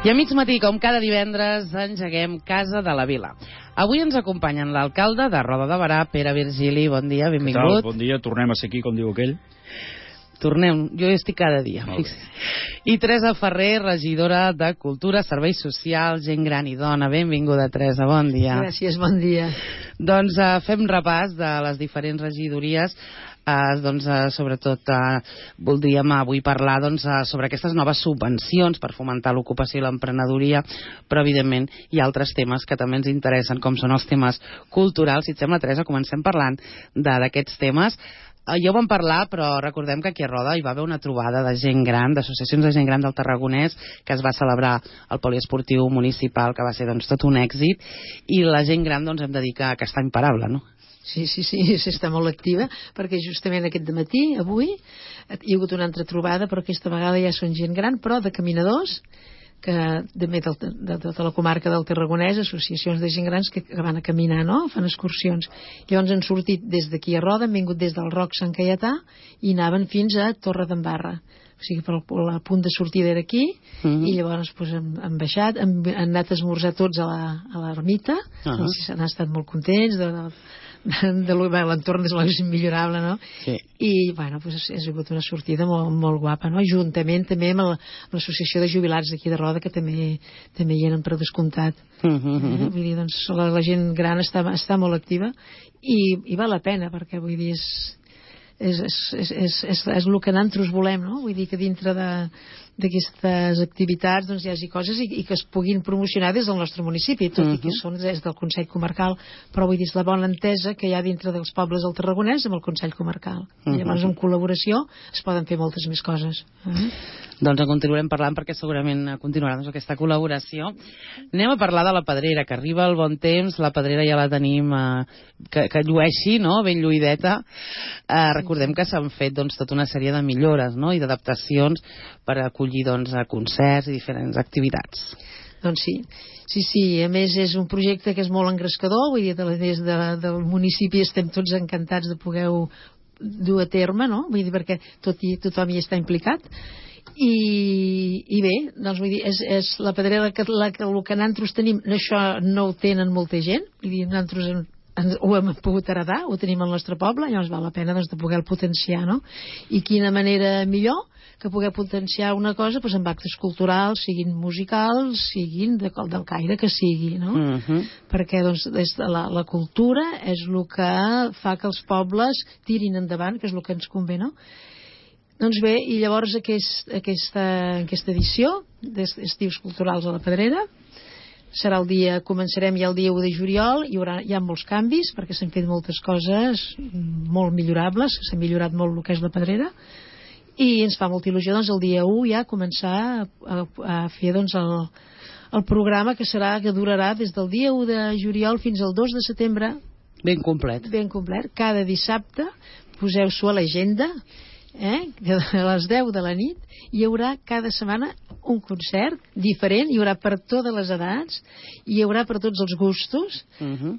I a mig matí, com cada divendres, engeguem Casa de la Vila. Avui ens acompanyen l'alcalde de Roda de Berà, Pere Virgili. Bon dia, benvingut. Què tal? Bon dia, tornem a ser aquí, com diu aquell. Tornem, jo hi estic cada dia. I Teresa Ferrer, regidora de Cultura, Serveis Socials, Gent Gran i Dona. Benvinguda, Teresa, bon dia. Gràcies, bon dia. Doncs fem repàs de les diferents regidories. Sobretot voldríem avui parlar sobre aquestes noves subvencions per fomentar l'ocupació i l'emprenedoria, però evidentment hi ha altres temes que també ens interessen, com són els temes culturals. Si et sembla, Teresa, comencem parlant d'aquests temes. Ja ho vam parlar, però recordem que aquí a Roda hi va haver una trobada de gent gran, d'associacions de gent gran del Tarragonès, que es va celebrar al poliesportiu municipal, que va ser tot un èxit, i la gent gran hem de dir que està imparable, no? Sí, està molt activa, perquè justament aquest dematí, avui, hi ha hagut una altra trobada, però aquesta vegada ja són gent gran, però de caminadors, que de tota la comarca del Tarragonès, associacions de gent grans que van a caminar, no? Fan excursions. Llavors han sortit des d'aquí a Roda, han vingut des del Roc Sant Caietà i anaven fins a Torredembarra. O sigui, el punt de sortida era aquí, i llavors han baixat, han anat a esmorzar tots a l'ermita, han estat molt contents l'entorn és immillorable, no? Sí. I ha sigut una sortida molt guapa, no? Juntament també amb l'associació de jubilats d'aquí de Roda, que també hi eren per descomptat. Vull dir, la gent gran està molt activa i val la pena, perquè vull dir és el que nosaltres volem, no? Vull dir que dintre d'aquestes activitats hi hagi coses i que es puguin promocionar des del nostre municipi, tot i que són des del Consell Comarcal, però vull dir, és la bona entesa que hi ha dintre dels pobles del Tarragonès amb el Consell Comarcal. Llavors, en col·laboració es poden fer moltes més coses. Doncs en continuarem parlant, perquè segurament continuarà aquesta col·laboració. Anem a parlar de la Pedrera, que arriba el bon temps. La Pedrera ja la tenim que llueixi, no? Ben lluïdeta. Recordem que s'han fet tota una sèrie de millores, no? I d'adaptacions per acollir concerts i diferents activitats. Doncs sí, a més és un projecte que és molt engrescador, vull dir, des del municipi estem tots encantats de poder-ho dur a terme, no? Vull dir, perquè tothom hi està implicat. I bé, doncs vull dir, és la Pedrera el que nosaltres tenim, això no ho tenen molta gent, vull dir, nosaltres ho hem pogut heredar, ho tenim al nostre poble, llavors val la pena de poder-lo potenciar, no? I quina manera millor que poder potenciar una cosa amb actes culturals, siguin musicals, siguin del caire que sigui, no? Perquè la cultura és el que fa que els pobles tirin endavant, que és el que ens convé, no? Doncs bé, i llavors aquesta edició d'Estius Culturals a la Pedrera començarem ja el dia 1 de juliol, hi ha molts canvis perquè s'han fet moltes coses molt millorables, s'ha millorat molt el que és la Pedrera, i ens fa molta il·lusió el dia 1 ja començar a fer el programa que durarà des del dia 1 de juliol fins al 2 de setembre. Ben complet. Cada dissabte poseu-s'ho a l'agenda, a les 10 de la nit hi haurà cada setmana un concert diferent, hi haurà per totes les edats, hi haurà per tots els gustos,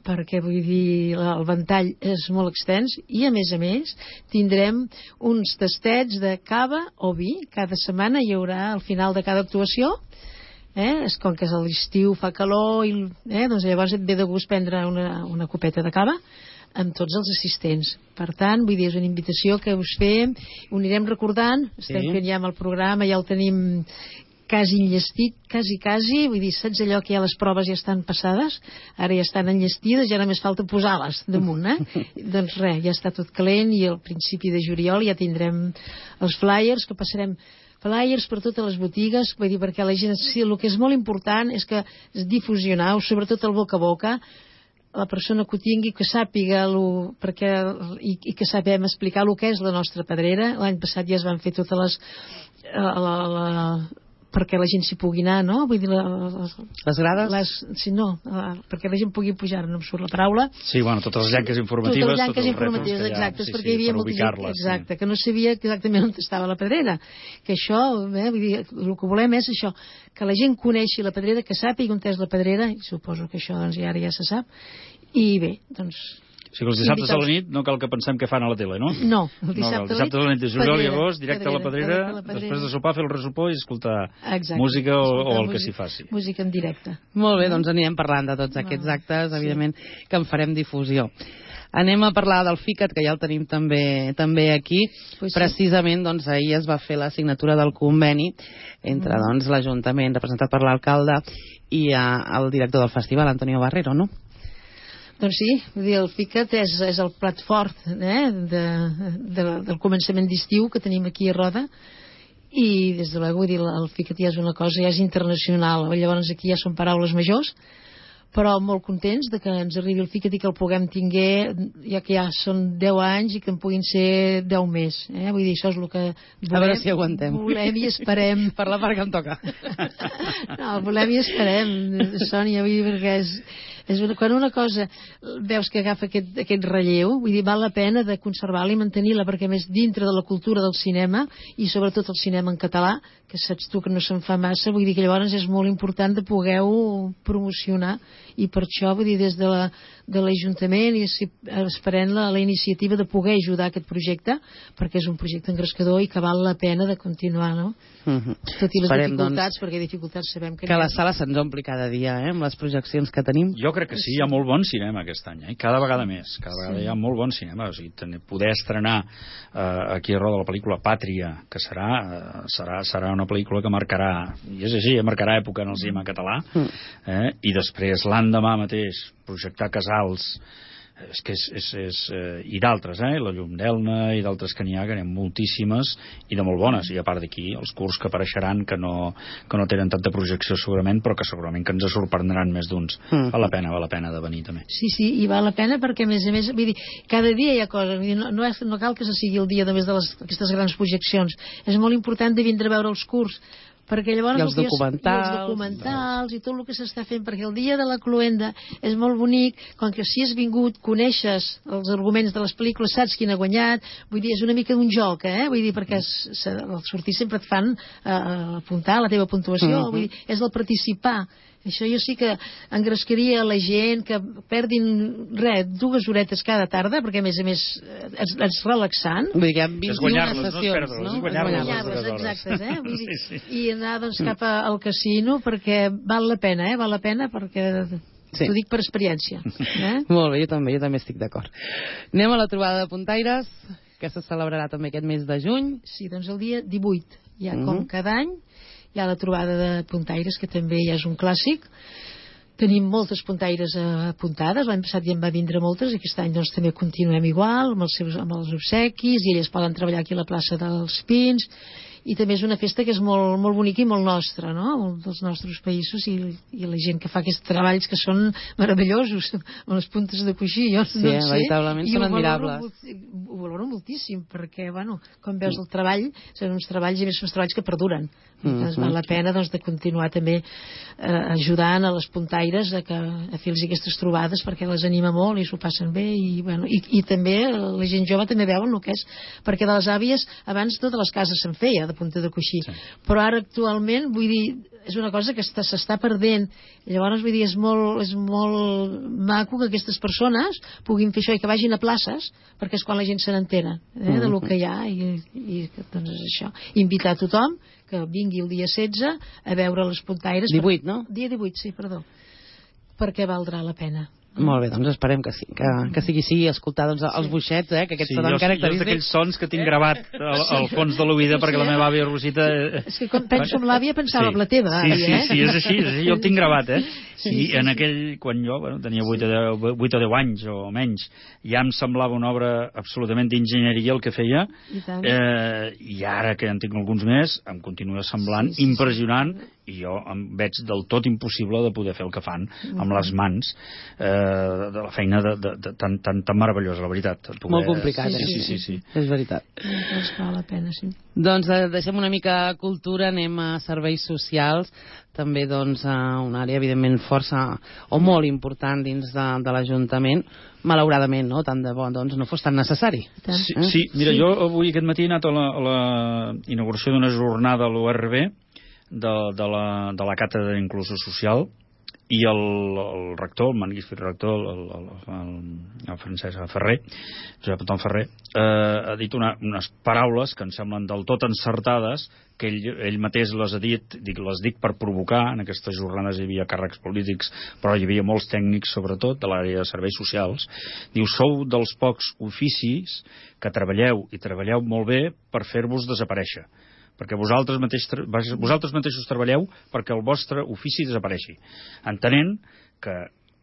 perquè vull dir, el ventall és molt extens, i a més tindrem uns tastets de cava o vi, cada setmana hi haurà al final de cada actuació. Com que és l'estiu, fa calor, doncs llavors et ve de gust prendre una copeta de cava amb tots els assistents. Per tant, vull dir, és una invitació que us fem, ho anirem recordant, estem fent ja amb el programa, ja el tenim quasi enllestit, quasi, vull dir, saps allò que ja les proves ja estan passades, ara ja estan enllestides, ja només falta posar-les damunt, doncs res, ja està tot calent, i al principi de juliol ja tindrem els flyers, que passarem flyers per totes les botigues, vull dir, perquè la gent, el que és molt important és que difusionar, sobretot el boca a boca, la persona que ho tingui, que sàpiga i que sapem explicar el que és la nostra Pedrera. L'any passat ja es van fer totes les perquè la gent s'hi pugui anar, no? Vull dir, les grades? Perquè la gent pugui pujar, no em surt la paraula. Sí, totes les llanques informatives. Totes les llanques informatives, exacte, perquè hi havia molta gent, exacte, que no sabia exactament on estava la Pedrera. Que això, vull dir, el que volem és això, que la gent coneixi la Pedrera, que sàpiga on és la Pedrera, i suposo que això ja se sap, i bé, doncs O sigui, els dissabtes a la nit no cal que pensem què fan a la tele, no? No, el dissabte a la nit de juliol i agost, directe a la Pedrera, després de sopar, fer el resopó i escoltar música o el que s'hi faci. Música en directe. Molt bé, doncs anirem parlant de tots aquests actes, evidentment, que en farem difusió. Anem a parlar del FICAT, que ja el tenim també aquí. Precisament, doncs, ahir es va fer la signatura del conveni entre l'Ajuntament, representat per l'alcalde, i el director del festival, Antonio Barrero, no? Doncs sí, vull dir, el FICAT és el plat fort del començament d'estiu que tenim aquí a Roda, i des de vull dir, el FICAT ja és una cosa, ja és internacional, llavors aquí ja són paraules majors, però molt contents de que ens arribi el FICAT i que el puguem tinguer, ja que ja són 10 anys i que en puguin ser 10 més. Vull dir, això és el que volem. A veure si aguantem. Volem i esperem. Per la part que em toca. No, volem i esperem, Sònia, vull dir, perquè quan una cosa veus que agafa aquest relleu, vull dir, val la pena de conservar-la i mantenir-la, perquè més dintre de la cultura del cinema, i sobretot el cinema en català, que saps tu que no se'n fa massa, vull dir que llavors és molt important de poder-ho promocionar, i per això, vull dir, des de l'Ajuntament i esperem la iniciativa de poder ajudar aquest projecte, perquè és un projecte engrescador i que val la pena de continuar, no? Tot i les dificultats, perquè dificultats sabem que la sala se'ns ompli cada dia, amb les projeccions que tenim. Jo crec que sí, hi ha molt bon cinema aquest any, cada vegada més, cada vegada hi ha molt bon cinema, o sigui, poder estrenar aquí a Roda la pel·lícula Pàtria, que serà una pel·lícula que marcarà, i és així, marcarà època en el cinema català, i després l'endemà mateix projectar Casals, i d'altres, la Llum d'Elna i d'altres que n'hi ha, que n'hi ha moltíssimes i de molt bones, i a part d'aquí els curts que apareixeran que no tenen tanta projecció segurament, però que segurament que ens sorprendran més d'uns. Val la pena de venir també. Sí, i val la pena perquè a més vull dir, cada dia hi ha coses, no cal que se sigui el dia només d'aquestes grans projeccions, és molt important de vindre a veure els curts, perquè llavors els documentals i tot el que s'està fent, perquè el dia de la cluenda és molt bonic, com que si has vingut coneixes els arguments de les pel·lícules, saps quin ha guanyat, vull dir, és una mica d'un joc, vull dir, perquè al sortir sempre et fan apuntar la teva puntuació, vull dir, és el participar. Això jo sí que engrescaria la gent, que perdin 2 horetes cada tarda, perquè a més és relaxant. Vull dir que hi ha 21 sessions, no? És guanyar-les, exactes, vull dir, i anar doncs cap al casino, perquè val la pena, perquè t'ho dic per experiència. Molt bé, jo també estic d'acord. Anem a la trobada de puntaires, que se celebrarà també aquest mes de juny. Sí, doncs el dia 18, ja com cada any, hi ha la trobada de puntaires, que també ja és un clàssic. Tenim moltes puntaires apuntades, l'any passat ja en va vindre moltes, i aquest any doncs també continuem igual, amb els obsequis, i elles poden treballar aquí a la plaça dels Pins, i també és una festa que és molt, molt bonica i molt nostra, no? Dels nostres països, i la gent que fa aquests treballs que són meravellosos, amb les puntes de coixí, jo no sé. Veritablement són admirables. Ho valoro moltíssim, perquè, com veus el treball, són uns treballs, i més són uns treballs que perduren. Doncs val la pena de continuar també ajudant a les puntaires a fer-los aquestes trobades, perquè les anima molt i s'ho passen bé, i també la gent jove també veuen el que és, perquè de les àvies abans totes les cases se'n feia de punta de coixí, però ara actualment, vull dir, és una cosa que s'està perdent. Llavors, vull dir, és molt maco que aquestes persones puguin fer això i que vagin a places, perquè és quan la gent se n'entera de lo que hi ha, i doncs és això. Invitar a tothom que vingui el dia 16 a veure les puntaires. 18, no? Dia 18, sí, perdó. Perquè valdrà la pena. Molt bé, doncs esperem que sí, que sigui així, escoltar els boixets, que aquests són característics. Jo d'aquells sons que tinc gravat al fons de l'oïda, perquè la meva àvia Rosita... És que quan penso en l'àvia pensava en la teva àvia, Sí, és així, jo el tinc gravat, I en aquell, quan jo tenia 8 o 10 anys o menys, ja em semblava una obra absolutament d'enginyeria el que feia, i ara que en tinc alguns més, em continua semblant impressionant, i jo em veig del tot impossible de poder fer el que fan amb les mans, de la feina tan meravellosa, la veritat. Molt complicat, Sí. És veritat. Doncs val la pena, sí. Doncs deixem una mica cultura, anem a serveis socials, també doncs una àrea evidentment força o molt important dins de l'Ajuntament, malauradament, no? Tant de bo doncs no fos tan necessari. Sí, mira, jo avui aquest matí he anat a la inauguració d'una jornada a l'ORB de la Càtedra d'Inclusió Social, i el rector, el magnífic rector, el Francesc Ferrer, Josep Anton Ferrer, ha dit unes paraules que em semblen del tot encertades, que ell mateix les ha dit, les dic per provocar. En aquestes jornades hi havia càrrecs polítics, però hi havia molts tècnics, sobretot, de l'àrea de serveis socials. Diu, sou dels pocs oficis que treballeu, i treballeu molt bé, per fer-vos desaparèixer. Perquè vosaltres mateixos treballeu perquè el vostre ofici desapareixi, entenent que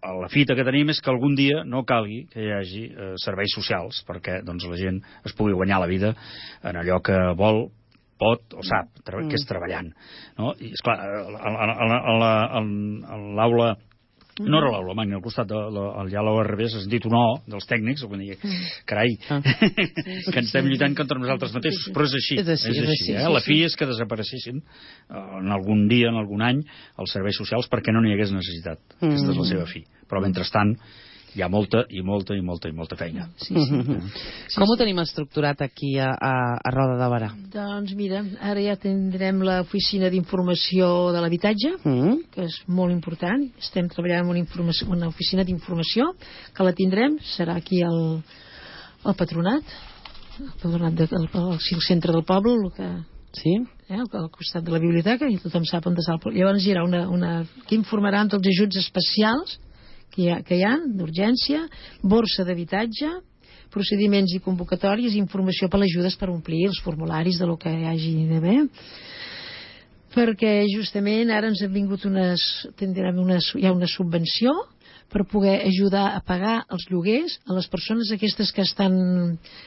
la fita que tenim és que algun dia no calgui que hi hagi serveis socials perquè doncs, la gent es pugui guanyar la vida en allò que vol, pot o sap, que és treballant, no? I esclar, a l'aula, no era l'aula magna, al costat ja a l'ORB s'ha sentit un O dels tècnics, quan digui, carai, que ens estem lluitant contra nosaltres mateixos, però és així, la fi és que desapareixessin en algun dia, en algun any, els serveis socials perquè no n'hi hagués necessitat. Aquesta és la seva fi. Però mentrestant hi ha molta feina. Com ho tenim estructurat aquí a Roda de Berà? Doncs mira, ara ja tindrem l'oficina d'informació de l'habitatge, que és molt important. Estem treballant en una oficina d'informació, que la tindrem, serà aquí al patronat, al centre del poble, al costat de la biblioteca, i tothom sap on està el poble. Llavors hi haurà que informarà amb tots els ajuts especials que hi ha d'urgència, borsa d'habitatge, procediments i convocatòries, informació per les ajudes per omplir els formularis de lo que hi hagi d'haver, perquè justament ara ens ha vingut hi ha una subvenció per poder ajudar a pagar els lloguers a les persones aquestes que estan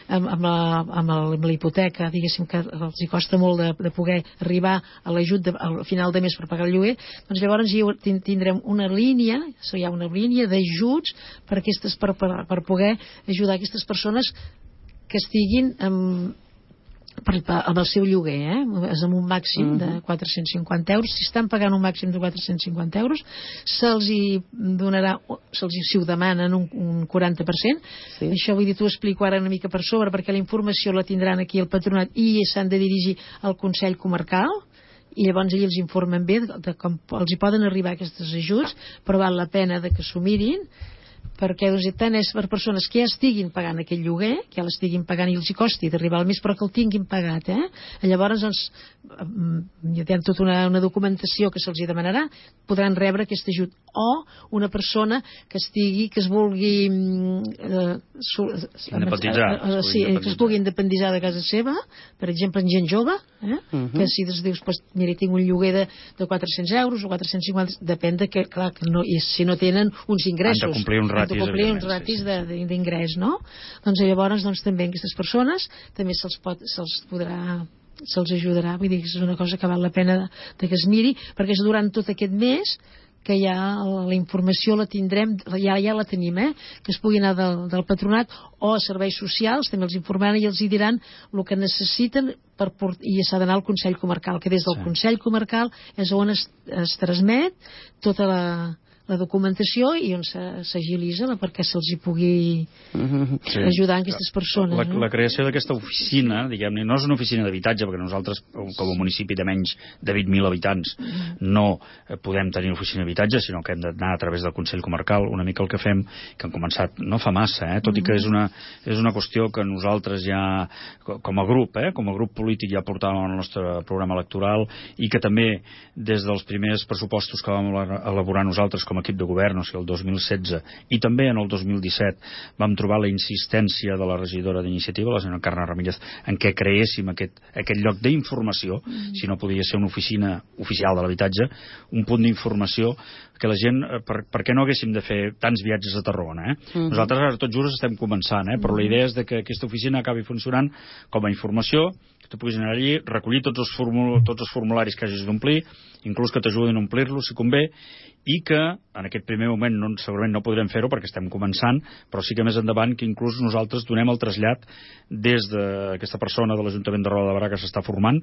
amb la hipoteca, diguéssim, que els hi costa molt de poder arribar a l'ajut al final de mes per pagar el lloguer. Doncs llavors tindrem una línia, hi ha una línia d'ajuts per poder ajudar aquestes persones que estiguin amb el seu lloguer, és amb un màxim de 450 euros. Si estan pagant un màxim de 450 euros, se'ls donarà, si ho demanen, un 40%. Això vull dir, t'ho explico ara una mica per sobre, perquè la informació la tindran aquí al patronat i s'han de dirigir al Consell Comarcal, i llavors ells els informen bé de com els hi poden arribar aquests ajuts, però val la pena que s'ho mirin, perquè tant és per persones que ja estiguin pagant aquell lloguer, que ja l'estiguin pagant i els hi costi d'arribar al mes, però que el tinguin pagat, llavors hi ha tota una documentació que se'ls demanarà, podran rebre aquest ajut. O una persona que es vulgui que es pugui independitzar de casa seva, per exemple en gent jove, que si dius, mira, tinc un lloguer de 400 euros o 450, depèn de que, clar, si no tenen uns ingressos, han de complir uns ratis d'ingrés, no? Doncs llavors també aquestes persones també se'ls ajudarà. Vull dir que és una cosa que val la pena que es miri, perquè és durant tot aquest mes que ja la informació la tindrem, ja la tenim, que es pugui anar del patronat o a serveis socials, també els informaran i els hi diran el que necessiten i s'ha d'anar al Consell Comarcal, que des del Consell Comarcal és on es transmet tota la documentació i on s'agilitza perquè se'ls hi pugui ajudar aquestes persones. La creació d'aquesta oficina, diguem-ne, no és una oficina d'habitatge, perquè nosaltres, com a municipi de menys de 20.000 habitants, no podem tenir oficina d'habitatge, sinó que hem d'anar a través del Consell Comarcal. Una mica el que fem, que han començat no fa massa, tot i que és una qüestió que nosaltres ja, com a grup polític, ja portàvem al nostre programa electoral, i que també des dels primers pressupostos que vam elaborar nosaltres com a equip de govern, o sigui, el 2016, i també en el 2017 vam trobar la insistència de la regidora d'Iniciativa, la senyora Carme Ramírez, en què creéssim aquest lloc d'informació, si no podia ser una oficina oficial de l'habitatge, un punt d'informació que la gent, per què no haguéssim de fer tants viatges a Tarragona, Nosaltres ara tot just estem començant, però la idea és que aquesta oficina acabi funcionant com a informació, que tu puguis anar allí, recollir tots els formularis que hagis d'omplir, inclús que t'ajudin a omplir-los si convé, i que en aquest primer moment segurament no podrem fer-ho perquè estem començant, però sí que més endavant que inclús nosaltres donem el trasllat des d'aquesta persona de l'Ajuntament de Roda de Berà que s'està formant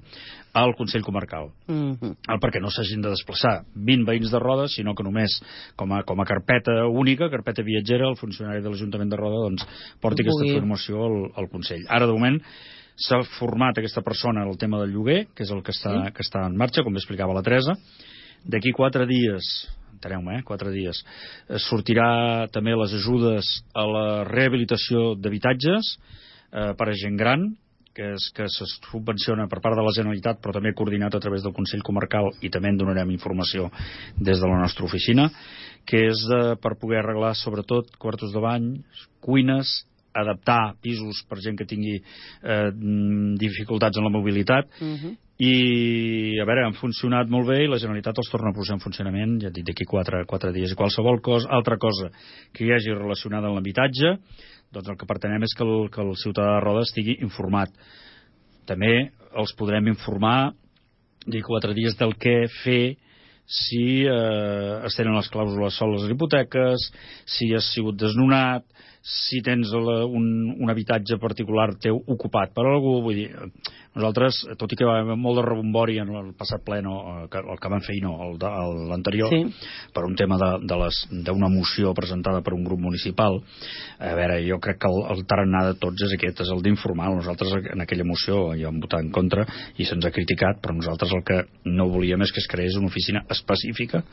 al Consell Comarcal, perquè no s'hagin de desplaçar 20 veïns de Roda, sinó que només com a carpeta única, carpeta viatgera, el funcionari de l'Ajuntament de Roda porti aquesta informació al Consell. Ara de moment s'ha format aquesta persona en el tema del lloguer, que és el que està en marxa, com explicava la Teresa. D'aquí 4 dies enteneu-me, 4 dies. Sortirà també les ajudes a la rehabilitació d'habitatges per a gent gran, que se subvenciona per part de la Generalitat, però també coordinat a través del Consell Comarcal, i també en donarem informació des de la nostra oficina, que és per poder arreglar sobretot quartos de bany, cuines, adaptar pisos per gent que tingui dificultats en la mobilitat, i a veure, han funcionat molt bé i la Generalitat els torna a posar en funcionament, ja et dic, d'aquí 4 dies. I qualsevol altra cosa que hi hagi relacionada amb l'habitatge, doncs el que pretenem és que el ciutadà de Roda estigui informat. També els podrem informar d'aquí 4 dies del què fer si es tenen les clàusules soles a les hipoteques, si has sigut desnonat, si tens un habitatge particular teu ocupat per algú. Vull dir, nosaltres, tot i que va haver molt de rebombori en el passat ple, el que van fer i no, l'anterior, per un tema d'una moció presentada per un grup municipal, a veure, jo crec que el tarannà de tots és aquest, és el d'informar. Nosaltres en aquella moció ja vam votar en contra i se'ns ha criticat, però nosaltres el que no volíem és que es creés una oficina específica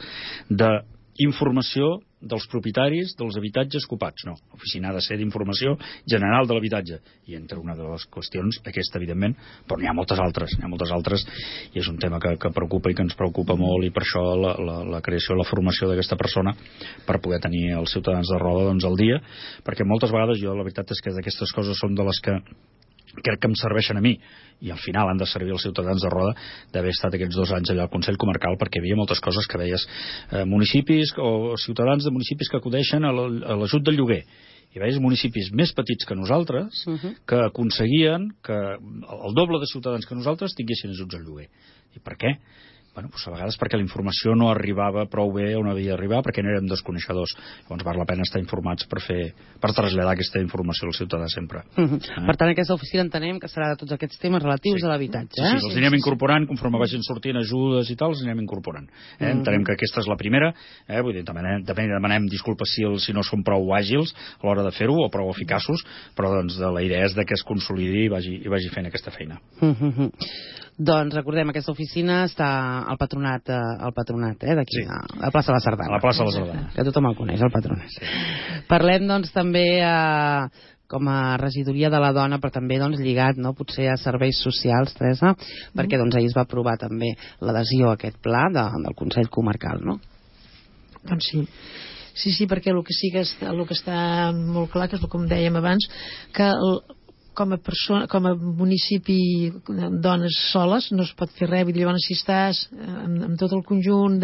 d'informació dels propietaris dels habitatges ocupats. No, l'oficina ha de ser d'informació general de l'habitatge, i entre una de les qüestions aquesta, evidentment, però n'hi ha moltes altres, i és un tema que preocupa i que ens preocupa molt, i per això la creació i la formació d'aquesta persona per poder tenir els ciutadans de Roda al dia, perquè moltes vegades jo la veritat és que d'aquestes coses són de les que crec que em serveixen a mi, i al final han de servir els ciutadans de Roda, d'haver estat aquests 2 anys allà al Consell Comarcal, perquè hi havia moltes coses que veies, municipis o ciutadans de municipis que acudeixen a l'ajut del lloguer, i veies municipis més petits que nosaltres que aconseguien que el doble de ciutadans que nosaltres tinguessin ajuts al lloguer. I per què? Bueno, doncs a vegades perquè la informació no arribava prou bé on havia d'arribar, perquè no érem desconeixedors. Llavors val la pena estar informats per traslladar aquesta informació al ciutadà sempre. Per tant, aquesta oficina entenem que serà de tots aquests temes relatius a l'habitatge. Sí, els anirem incorporant, conforme vagin sortint ajudes i tal, els anirem incorporant. Entenem que aquesta és la primera, vull dir, demanem disculpes si no som prou àgils a l'hora de fer-ho, o prou eficaços, però doncs la idea és que es consolidi i vagi fent aquesta feina. Doncs recordem, aquesta oficina està al patronat d'aquí, a la plaça de la Sardana. A la plaça de la Sardana. Que tothom el coneix, el patronat. Parlem, doncs, també com a regidoria de la dona, però també lligat, potser a serveis socials, Teresa, perquè ahir es va aprovar també l'adhesió a aquest pla del Consell Comarcal, no? Doncs sí. Sí, perquè el que està molt clar, que és com dèiem abans, que com a municipi dones soles no es pot fer res. Llavors, si estàs amb tot el conjunt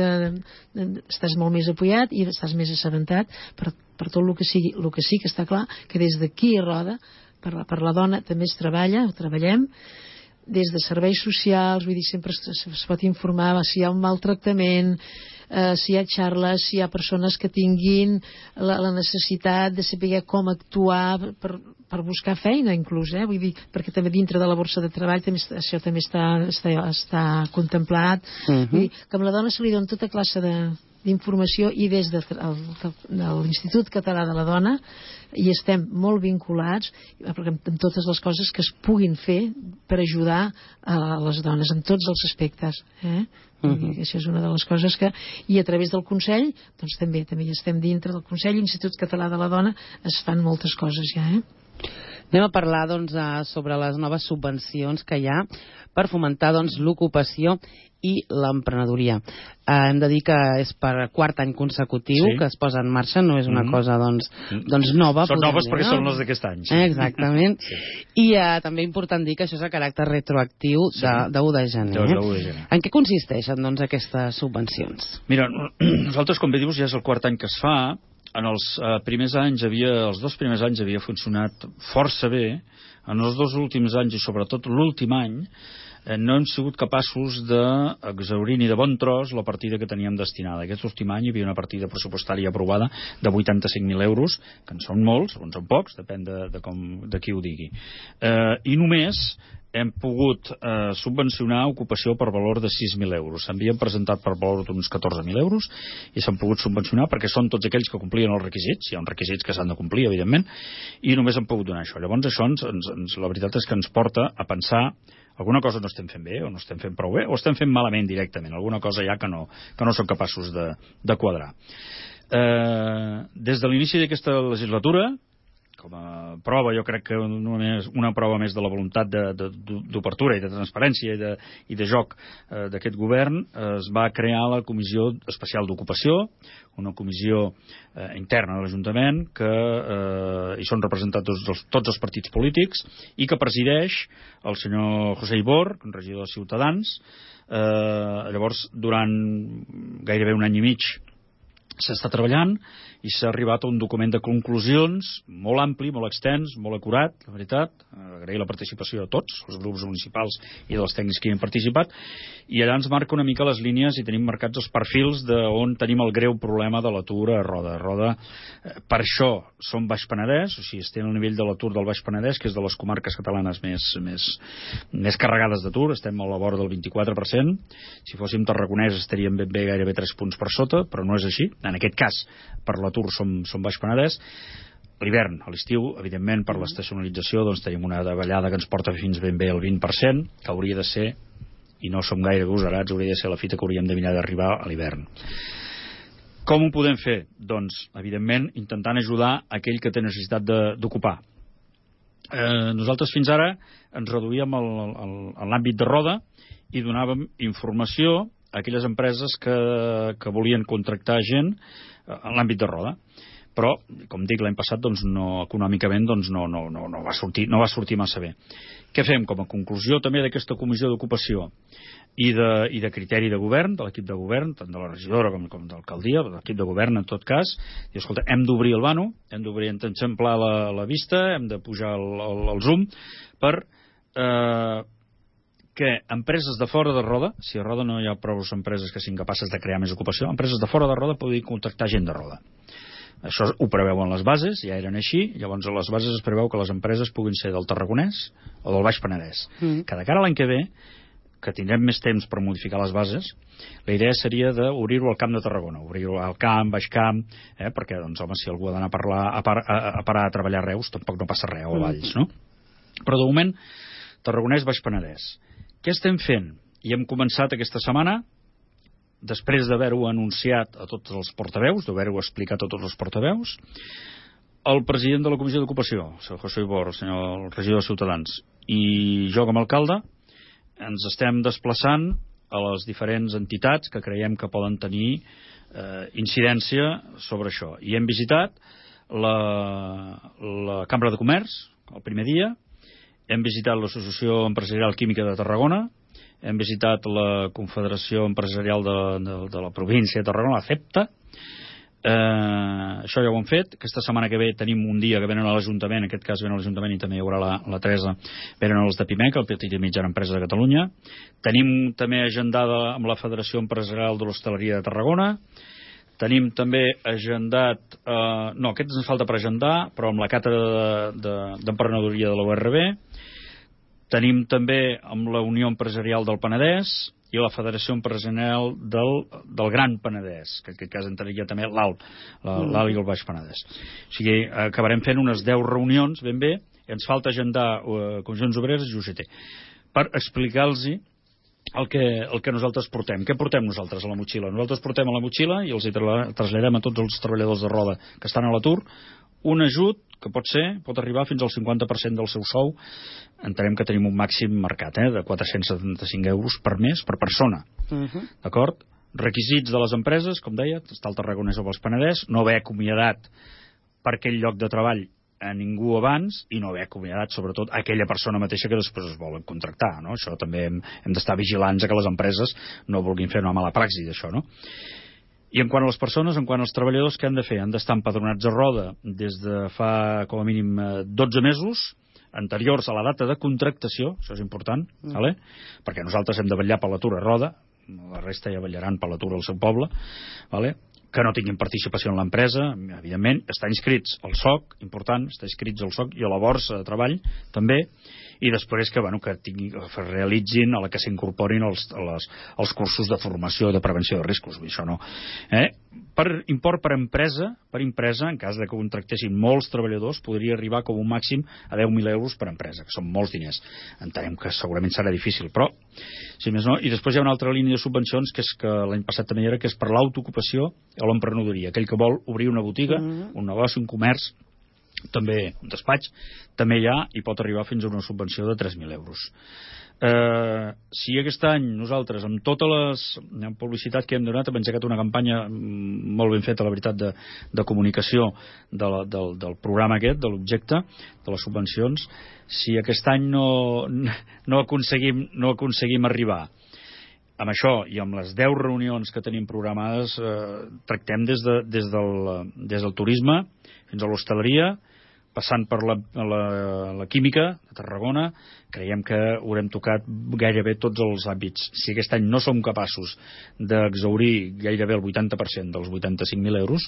estàs molt més apoyat i estàs més assabentat per tot el que sigui. El que sí que està clar que des d'aquí a Roda per la dona també treballem des de serveis socials, vull dir, sempre es pot informar si hi ha un maltractament, si hi ha xarles, si hi ha persones que tinguin la necessitat de saber com actuar per buscar feina, inclús, vull dir, perquè també dintre de la borsa de treball això també està contemplat. Vull dir, que amb la dona se li dona tota classe d'informació, i des de l'Institut Català de la Dona hi estem molt vinculats amb totes les coses que es puguin fer per ajudar a les dones en tots els aspectes. Això és una de les coses que... I a través del Consell, doncs també hi estem dintre del Consell, l'Institut Català de la Dona, es fan moltes coses ja. Anem a parlar sobre les noves subvencions que hi ha per fomentar l'ocupació i l'emprenedoria. Hem de dir que és per 4 any consecutiu que es posa en marxa, no és una cosa nova. Són noves perquè són les d'aquest any. Exactament. I també important dir que això és a caràcter retroactiu de 1 de gener. En què consisteixen aquestes subvencions? Mira, nosaltres, com bé dius, ja és el 4 any que es fa. En els primers anys els 2 primers anys havia funcionat força bé. En els 2 últims anys, i sobretot l'últim any, no hem sigut capaços d'exhaurir ni de bon tros la partida que teníem destinada. Aquest últim any hi havia una partida pressupostària aprovada de 85.000 euros, que en són molts, o en són pocs, depèn de qui ho digui. I només hem pogut subvencionar ocupació per valor de 6.000 euros. S'havien presentat per valor d'uns 14.000 euros i s'han pogut subvencionar perquè són tots aquells que complien els requisits. Hi ha uns requisits que s'han de complir, evidentment, i només han pogut donar això. Llavors això, la veritat és que ens porta a pensar alguna cosa no estem fent bé, o no estem fent prou bé, o estem fent malament directament. Alguna cosa ja que no som capaços de quadrar. Des de l'inici d'aquesta legislatura, com a prova, jo crec que una prova més de la voluntat d'obertura i de transparència i de joc d'aquest govern, es va crear la Comissió Especial d'Ocupació, una comissió interna de l'Ajuntament que hi són representats tots els partits polítics i que presideix el senyor José Ibor, regidor de Ciutadans. Llavors, durant gairebé un any i mig s'està treballant i s'ha arribat a un document de conclusions molt ampli, molt extens, molt acurat, la veritat. Agrair la participació de tots, els grups municipals i dels tècnics que hi han participat, i allà ens marca una mica les línies i tenim marcats els perfils d'on tenim el greu problema de l'atur a Roda. Roda, per això som Baix Penedès, o sigui, estem al nivell de l'atur del Baix Penedès, que és de les comarques catalanes més carregades d'atur, estem a la vora del 24%. Si fóssim tarragonès estaríem ben bé gairebé 3 punts per sota, però no és així. En aquest cas, per l'atur som Baix Penedès. L'hivern, a l'estiu, evidentment, per l'estacionalització, doncs tenim una davallada que ens porta fins ben bé al 20%, que hauria de ser, i no som gaire agosarats, hauria de ser la fita que hauríem de mirar d'arribar a l'hivern. Com ho podem fer? Doncs, evidentment, intentant ajudar aquell que té necessitat d'ocupar. Nosaltres fins ara ens reduïem a l'àmbit de Roda i donàvem informació a aquelles empreses que volien contractar gent en l'àmbit de Roda. Però, com dic, l'any passat econòmicament no va sortir massa bé. Què fem? Com a conclusió també d'aquesta comissió d'ocupació i de criteri de govern, de l'equip de govern, tant de la regidora com d'alcaldia, de l'equip de govern en tot cas, i escolta, hem d'obrir el vano, hem d'eixamplar la vista, hem de pujar el zoom per que empreses de fora de Roda, si a Roda no hi ha prou empreses que siguin capaces de crear més ocupació, empreses de fora de Roda poden contractar gent de Roda. Això ho preveuen les bases, ja eren així, llavors a les bases es preveu que les empreses puguin ser del Tarragonès o del Baix Penedès. Que de cara a l'any que ve, que tindrem més temps per modificar les bases, la idea seria d'obrir-ho al Camp de Tarragona, obrir-ho al Camp, Baix Camp, perquè, doncs, home, si algú ha d'anar a parar a treballar a Reus, tampoc no passa res, o a Valls, no? Però de moment, Tarragonès, Baix Penedès. Què estem fent? I hem començat aquesta setmana, després d'haver-ho anunciat a tots els portaveus, d'haver-ho explicat a tots els portaveus, el president de la Comissió d'Ocupació, el senyor José Ibor, el regidor de Ciutadans, i jo com a alcalde, ens estem desplaçant a les diferents entitats que creiem que poden tenir incidència sobre això. I hem visitat la Cambra de Comerç el primer dia, hem visitat l'Associació Empresarial Química de Tarragona, hem visitat la Confederació Empresarial de la província de Tarragona, la CEPTA. Això ja ho hem fet. Aquesta setmana que ve tenim un dia que venen a l'Ajuntament, en aquest cas venen a l'Ajuntament i també hi haurà la Teresa, venen els de PIMEC, el Petit i Mitjana Empresa de Catalunya. Tenim també agendada amb la Federació Empresarial de l'Hostaleria de Tarragona. Tenim també agendat, aquest ens falta per agendar, però amb la càtedra d'emprenedoria de la URB. Tenim també amb la Unió Empresarial del Penedès i la Federació Empresarial del Gran Penedès, que en aquest cas entraria també l'Alt i el Baix Penedès. O sigui, acabarem fent unes 10 reunions, ben bé, i ens falta agendar Comissions Obreres i UGT, per explicar-los el que nosaltres portem. Què portem nosaltres a la motxilla? Nosaltres portem a la motxilla, i els traslladem a tots els treballadors de Roda que estan a l'atur, un ajut que pot arribar fins al 50% del seu sou. Entenem que tenim un màxim marcat de 475 euros per mes per persona. D'acord? Requisits de les empreses, com deia, està el Tarragonès o el Penedès, no haver acomiadat per aquell lloc de treball a ningú abans i no haver acomiadat sobretot aquella persona mateixa que després es volen contractar, no? Això també hem d'estar vigilants a que les empreses no vulguin fer una mala praxi d'això, no? I en quant a les persones, en quant als treballadors, què han de fer? Han d'estar empadronats a Roda des de fa com a mínim 12 mesos anteriors a la data de contractació, això és important, perquè nosaltres hem de vetllar per l'atur a Roda, la resta ja vetllaran per l'atur al seu poble, que no tinguin participació en l'empresa, evidentment, estar inscrits al SOC, important, estar inscrits al SOC i a la borsa de treball, també, i després que realitzin, a la que s'incorporin els cursos de formació de prevenció de riscos, això no. Per import per empresa, en cas de que contractessin molts treballadors, podria arribar com un màxim a 10.000 euros per empresa, que són molts diners. Entenem que segurament serà difícil, però si més no. I després hi ha una altra línia de subvencions, que és que l'any passat també hi era, que és per l'autoocupació o l'emprenedoria. Aquell que vol obrir una botiga, un negoci, un comerç, també un despatx, també hi ha i pot arribar fins a una subvenció de 3.000 euros. Si aquest any nosaltres, amb tota la publicitat que hem donat, hem engegat una campanya molt ben feta, la veritat, de comunicació del programa aquest, de l'objecte, de les subvencions, si aquest any no aconseguim arribar amb això i amb les 10 reunions que tenim programades, tractem des del turisme fins a l'hostaleria, passant per la química de Tarragona. Creiem que haurem tocat gairebé tots els àmbits. Si aquest any no som capaços d'exhaurir gairebé el 80% dels 85.000 euros,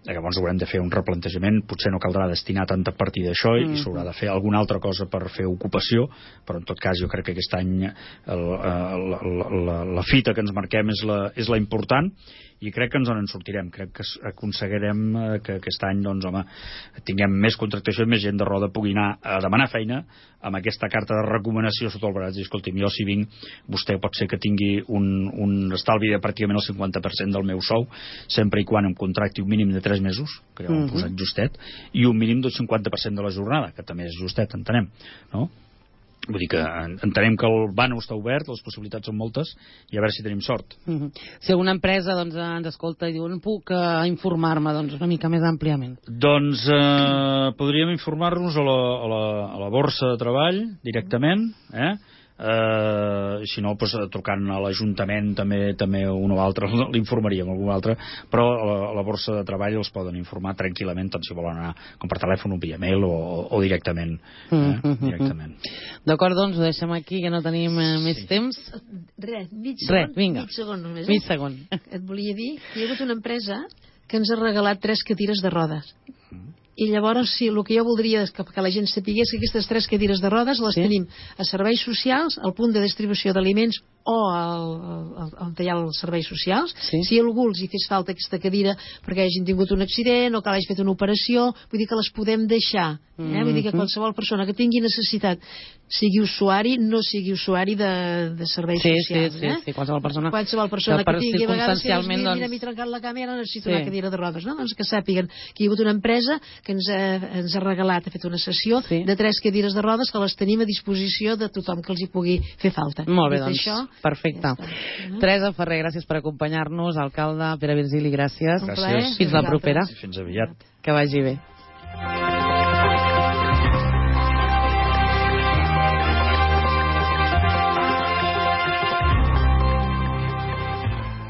llavors haurem de fer un replantejament. Potser no caldrà destinar tanta partida a això i s'haurà de fer alguna altra cosa per fer ocupació, però en tot cas jo crec que aquest any la fita que ens marquem és la important, i crec que ens en sortirem. Crec que aconseguirem que aquest any, doncs, home, tinguem més contractació i més gent de roda pugui anar a demanar feina amb aquesta carta de recomanació sota el braç i, escolti'm, jo si vinc, vostè pot ser que tingui un estalvi de pràcticament el 50% del meu sou, sempre i quan em contracti un mínim de 3 mesos, que ja ho hem posat justet, i un mínim del 50% de la jornada, que també és justet, entenem, no? Vull dir que entenem que el vano està obert, les possibilitats són moltes, i a veure si tenim sort. Si alguna empresa ens escolta i diu, no puc informar-me una mica més àmpliament? Doncs podríem informar-nos a la borsa de treball directament, si no, trucant a l'Ajuntament també un o altre l'informaríem, algun altre, però a la borsa de treball els poden informar tranquil·lament, tant si volen anar com per telèfon o via mail o directament. D'acord, doncs ho deixem aquí, que no tenim més temps. Mig segon només. Mig segon. Et volia dir que hi ha hagut una empresa que ens ha regalat 3 cadires de rodes. I llavors, sí, el que jo voldria és que la gent sapigués que aquestes 3 cadires de rodes les tenim a serveis socials, al punt de distribució d'aliments o on hi ha els serveis socials. Si algú els hi fes falta aquesta cadira perquè hagin tingut un accident o que l'hagi fet una operació, vull dir que les podem deixar. Vull dir que qualsevol persona que tingui necessitat, sigui usuari, no sigui usuari de serveis socials. Sí, qualsevol persona que tingui, a vegades, mira, m'he trencat la cama i ara necessito una cadira de rodes. Doncs que sàpiguen que hi ha hagut una empresa que ens ha regalat, ha fet una sessió de 3 cadires de rodes que les tenim a disposició de tothom que els hi pugui fer falta. Molt bé, doncs, perfecte. Teresa Ferrer, gràcies per acompanyar-nos. Alcalde Pere Virgili, gràcies. Gràcies. Fins la propera. Fins aviat. Que vagi bé.